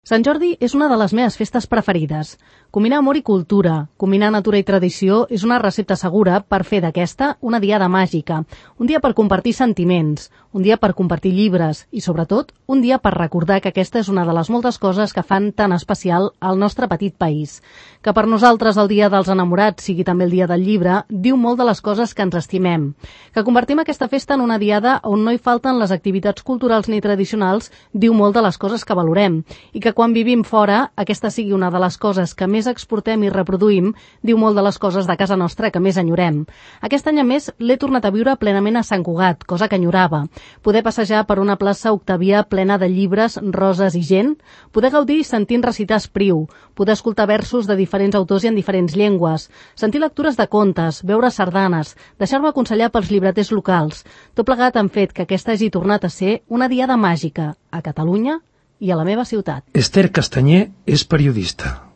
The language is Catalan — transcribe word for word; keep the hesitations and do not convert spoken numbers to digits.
Sant Jordi és una de les meves festes preferides. Combinar amor i cultura, combinar natura i tradició és una recepta segura per fer d'aquesta una diada màgica, un dia per compartir sentiments, un dia per compartir llibres i, sobretot, un dia per recordar que aquesta és una de les moltes coses que fan tan especial el nostre petit país. Que per nosaltres el dia dels enamorats sigui també el dia del llibre diu molt de les coses que ens estimem. Que convertim aquesta festa en una diada on no hi falten les activitats culturals ni tradicionals diu molt de les coses que valorem i que quan vivim fora aquesta sigui una de les coses que més exportem i reproduïm diu molt de les coses de casa nostra que més enyorem. Aquest any a més l'he tornat a viure plenament a Sant Cugat, cosa que enyorava. Poder passejar per una plaça Octavià plena de llibres, roses i gent, poder gaudir sentint recitar Espriu, poder escoltar versos de diferents autors i en diferents llengües, sentir lectures de contes, veure sardanes, deixar-me aconsellar pels llibreters locals. Tot plegat han fet que aquesta hagi tornat a ser una diada màgica a Catalunya i a la meva ciutat. Esther Castanyer és periodista.